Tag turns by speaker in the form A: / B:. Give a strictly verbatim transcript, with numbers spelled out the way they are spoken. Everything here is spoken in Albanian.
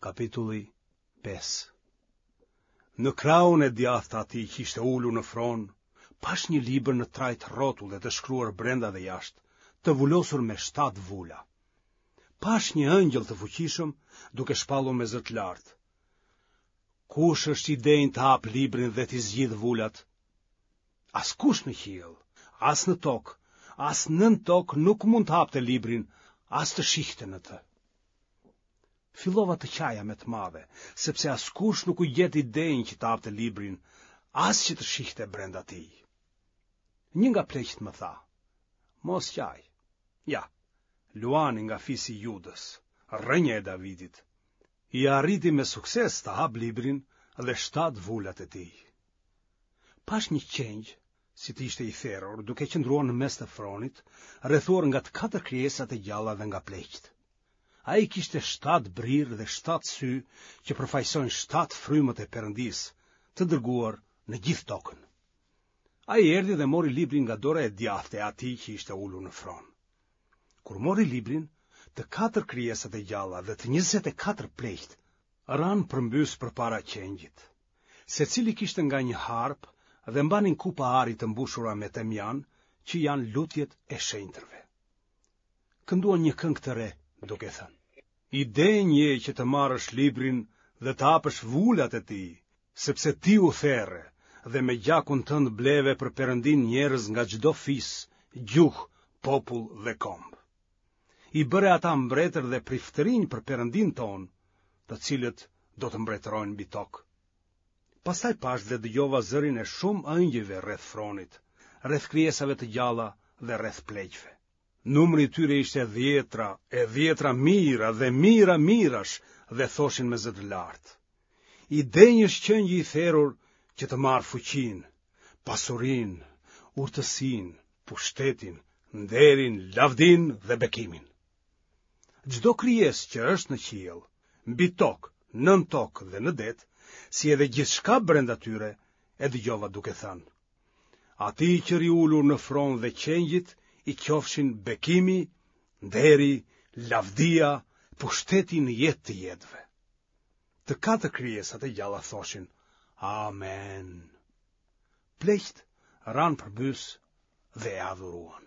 A: Kapitulli pesë. Në krahun e djathtë të atij që ishte ulur në fron, pashë një libër në trajtë rrotulle të shkruar brenda dhe jashtë, të vulosur me shtatë vula. Pashë një ëngjëll të fuqishëm duke shpallur me zë të lartë: Kush është i denjë të hapë librin dhe t'i zgjidhë vulat? Askush në qiell, as në tokë, as nën tokë nuk mund të hapte librin, as të shihte në të. Fillova të qaja me të madhe, sepse askush nuk u gjet i denjë që të hapte librin, as që të shihte brenda tij. Një nga pleqtë më tha: Mos qaj. Ja, luani nga fisi i Judës, rrënja e Davidit, ia arriti me sukses të hapë librin dhe shtatë vulat e tij. Pashë një qengj, si të ishte i therur, duke qëndruar në mes të fronit, rrethuar nga të katër krijesat e gjalla dhe nga pleqtë. Ai kishte shtatë brirë dhe shtatë sy që përfaqësojnë shtatë frymët e Perëndisë, të dërguar në gjithë tokën. Ai erdhi dhe mori librin nga dora e djathtë e atij që ishte ulur në fron. Kur mori librin, të katër krijesat e gjalla dhe të njëzet e katër pleqtë ranë përmbys përpara qengjit. Secili kishte nga një harpë dhe mbanin kupa ari të mbushura me temjan, që janë lutjet e shenjtërve. Kënduan një këngë të re, duke thënë: I denjë je që të marrësh librin dhe të hapësh vulat e tij, sepse ti u there dhe me gjakun tënd bleve për Perëndinë njerëz nga çdo fis, gjuhë, popull dhe komb. I bëre ata mbretër dhe priftërinj për Perëndinë tonë, të cilët do të mbretërojnë mbi tokë. Pastaj pashë dhe dëgjova zërin e shumë ëngjëjve rreth fronit, rreth krijesave të gjalla dhe rreth pleqve. Numri i tyre ishte dhjetra e dhjetra mijëra dhe mijëra mijërash dhe thoshin me zë të lartë: I denjë është qengji i therur që të marrë fuqinë, pasurinë, urtësinë, pushtetin, nderin, lavdinë dhe bekimin. Çdo krijesë që është në qiell, mbi tokë, nën tokë dhe në det, si edhe gjithçka brenda tyre, e dëgjova duke thënë: Atij që rri ulur në fron dhe qengjit i qofshin bekimi, nderi, lavdia, pushteti në jetë të jetëve. Të katër krijesat e gjalla thoshin: Amen. Pleqtë ranë përbys dhe e adhuruan.